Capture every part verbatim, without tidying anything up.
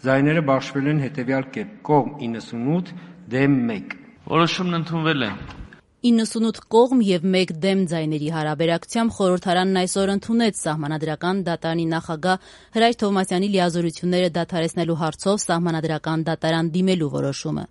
Ձայները բաշխվել են հետևյալ կերպ՝ կողմ իննսունութ, դեմ մեկ։ Որոշումն ընդունվել է։ իննսունութ կողմ և մեկ դեմ ձայների հարաբերակցությամբ խորհրդարանն այսօր ընդունեց Սահմանադրական դատարանի նախագահ Հրաչ Թովմասյանի լիազորությունները դադարեցնելու հարցով Սահմանադրական դատարան դիմելու որոշումը։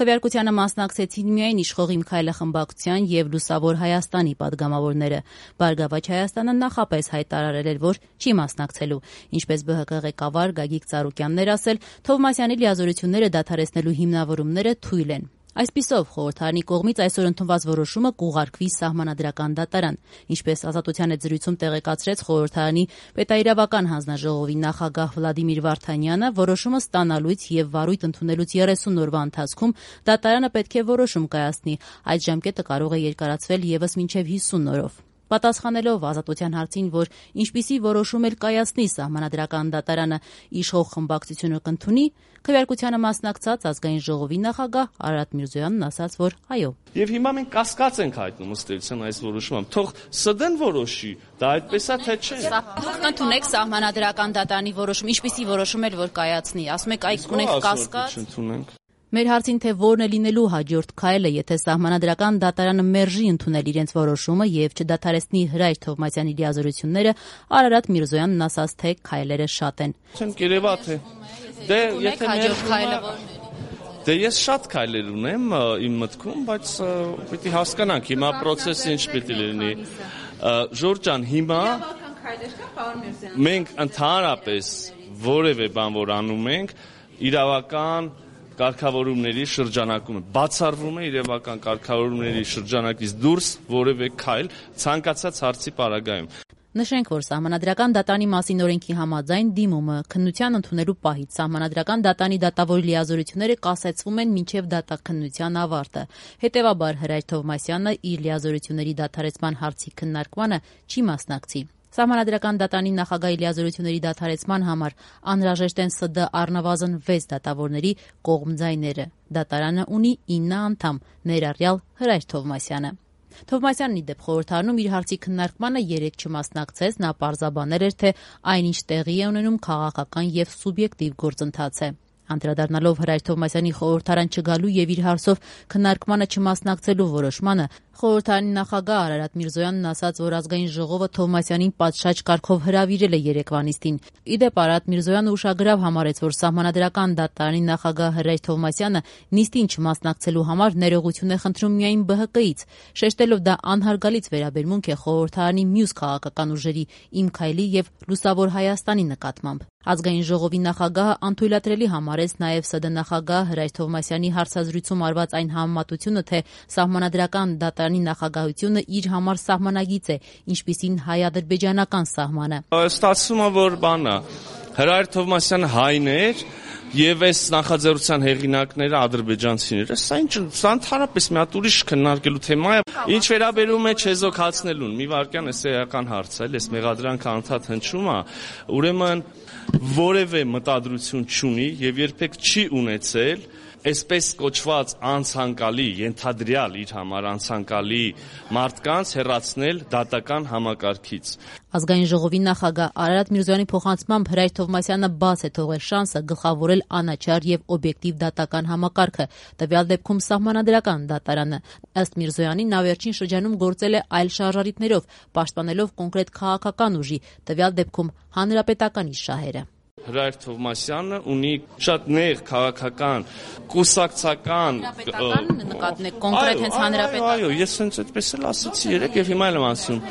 Քվեարկությանը մասնակցեցին միայն Իշխող Իմ Քայլը խմբակցության և Լուսավոր Հայաստանի պատգամավորները։ Բարգավաճ Հայաստանը նախապես հայտարարել էր, որ չի մասնակցելու։ Ինչպես ԲՀԿ ղեկավար Գագիկ Ծառուկյանն էր ասել, Թովմասյանի լիազորությունները դադարեցնելու հիմնավորումները թույլ են։ Այսպիսով, խորհրդարանի կողմից այսօր ընդունված որոշումը կուղարկվի Սահմանադրական դատարան։ Ինչպես Ազատության հետ զրույցում տեղեկացրեց խորհրդարանի պետաիրավական հանձնաժողովի նախագահ Վլադիմիր Վարդանյանը, որոշումը ստանալուց և վարույթ ընդունելուց երեսուն օրվա ընթացքում դատարանը պետք է որոշում կայացնի։ Այդ ժամկետը կարող է երկարացվել ևս մինչև հիսուն օրով։ Պատասխանելով Ազատության հարցին, որ ինչպիսի որոշում էլ կայացնի Սահմանադրական դատարանը, Իշխող խմբակցությունը կընդունի, քվեարկությանը մասնակցած Ազգային ժողովի նախագահ Արարատ Միրզոյանն ասաց, որ այո։ Եվ հիմա մենք կասկած ենք հայտնում ըստ էության այս որոշումը։ Թող ՍԴ-ն որոշի, դա այդպես է թե չէ։ Դուք կընդունեք Սահմանադրական դատարանի որոշում, ինչպիսի որոշում էլ որ կայացնի, ասում եք այք ունենք կասկած։ Մեր հարցին, թե որն է լինելու հաջորդ քայլը, եթե Սահմանադրական դատարանը մերժի ընդունել իրենց որոշումը եւ չդադարեցնի Հրաչ Թովմասյանի լիազորությունները, Արարատ Միրզոյանն ասաց, թե քայլերը շատ են։ Չեմ կերևա թե դե եթե հաջորդ քայլը որն է։ Դե ես շատ քայլեր ունեմ իմ մտքում, բայց պիտի հասկանանք հիմա process-ը ինչ պիտի լինի։ Ժորժ ջան, հիմա մենք ընդհանրապես որևէ բան որ անում ենք, իրավական կարգավորումների շրջանակում բացառվում է իրավական կարգավորումների շրջանակից դուրս որևէ քայլ ցանկացած հարցի պարագայում։ Նշենք, որ Սահմանադրական դատարանի մասին օրենքի համաձայն դիմումը քննության ընդունելու պահից Սահմանադրական դատարանի դատավորի լիազորությունները կասեցվում են մինչև դատաքննության ավարտը։ Հետևաբար Հրաչ Թովմասյանը իր լիազորությունների դադարեցման հարցի քննարկմանը չի մասնակցի։ Սահմանադրական դատարանի նախագահի լիազորությունների դադարեցման համար անհրաժեշտ են ՍԴ առնվազն վեց դատավորների կողմ ձայները։ Դատարանը ունի ինը անդամ, ներառյալ Հրաչ Թովմասյանը։ Թովմասյանն ի դեպ խորհրդարանում իր հարցի քննարկմանը երեկ չմասնակցեց, նա պարզաբանել էր, թե այնինչ տեղի է ունենում քաղաքական և սուբյեկտիվ գործընթաց է։ Անդրադառնալով Հրաչ Թովմասյանի խորհրդարան չգալու եւ իր հարցով քննարկմանը չմասնակցելու որոշմանը, խորհրդարանի նախագահ Արարատ Միրզոյանն ասաց, որ Ազգային ժողովը Թովմասյանին պատշաճ կարգով հրավիրել է երեկվա նիստին։ Ի դեպ Արարատ Միրզոյանը ուշագրավ համարեց, որ Սահմանադրական դատարանի նախագահ Հրաչ Թովմասյանը նիստին չմասնակցելու համար ներողություն է խնդրում միայն ԲՀԿ-ից, շեշտելով դա անհարգալից վերաբերմունք է խորհրդարանի մյուս քաղաքական ուժերի Իմ Քայլի եւ Լուսավոր Հայաստանի նկատմամբ։ Ազգային ժողովի նախագահը անթույլատրելի համարեց նաև ՍԴ նախագահ Հրաչ Թովմասյանի հարցազրույցում արված այն համեմատությունը, թե Սահմանադրական դատարանի նախագահությունը իր համար սահմանագիծ է, ինչպիսին հայ-ադրբեջանական սահմանը։ Ստացվում է, որ բանը Հրաչ Թովմասյանը հայն էր եւ այս նախաձեռնության հեղինակները ադրբեջանցիները, սա ինչ սա ընդհանրապես մի հատ ուրիշ քննարկելու թեմա է։ Ինչ վերաբերում է չեզոքացնելուն, մի վարքյան էս էական հարց է, այս մեղադրանքը անդադ հնչում է, ուրեմն որևէ մտադրություն չունի եւ երբեք չի ունեցել այսպես կոչված անցանկալի, ենթադրյալ իր համար անցանկալի մարդկանց հեռացնել դատական համակարգից։ Ազգային ժողովի նախագահ Արարատ Միրզոյանի փոխանցմամբ Հրաչ Թովմասյանը բաց է թողել շանսը գլխավորել անաչառ եւ օբյեկտիվ դատական համակարգը, տվյալ դեպքում Սահմանադրական դատարանը։ Ըստ Միրզոյանի, նա վերջին շրջանում գործել է այլ շարժառիթներով, պաշտպանելով կոնկրետ քաղաքական ուժի, տվյալ դեպքում Հանրապետականի շահերը։ Հրաչ Թովմասյանը ունի շատ նեղ քաղաքական, կուսակցական նկատնեք կոնկրետ հենց հանրապետական։ Այո, ես հենց այդպես էլ ասացի երեք եւ հիմա էլ եմ ասում։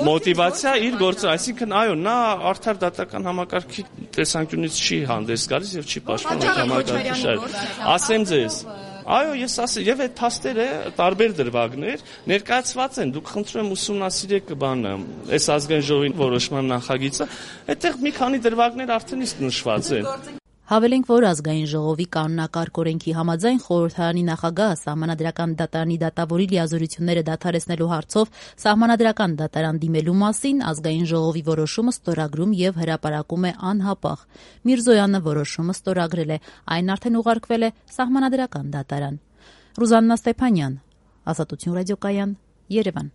Մոտիվացիա իր գործը, այսինքն այո, նա արդար դատական համակարգի տեսանկյունից չի հանդես գալիս եւ չի պաշտպանում համակարգի շահերը։ Ասեմ ձեզ, այո, ես ասեմ, եւ այդ փաստերը տարբեր դրվագներ ներկայացված են։ Դուք խնդրում եմ ուսումնասիրեք բանը, այս ազգային ժողովի որոշման նախագիծը, այդտեղ մի քանի դրվագներ արդեն իսկ նշված են։ Հավելենք, որ Ազգային ժողովի կանոնակարգ օրենքի համաձայն խորհրդարանի նախագահը Սահմանադրական դատարանի դատավորի լիազորությունները դադարեցնելու հարցով Սահմանադրական դատարան դիմելու մասին Ազգային ժողովի որոշումը ստորագրում եւ հրապարակում է անհապաղ։ Միրզոյանը որոշումը ստորագրել է, այն արդեն ուղարկվել է Սահմանադրական դատարան։ Ռուզաննա Ստեփանյան, Ազատություն ռադիոկայան, Երևան։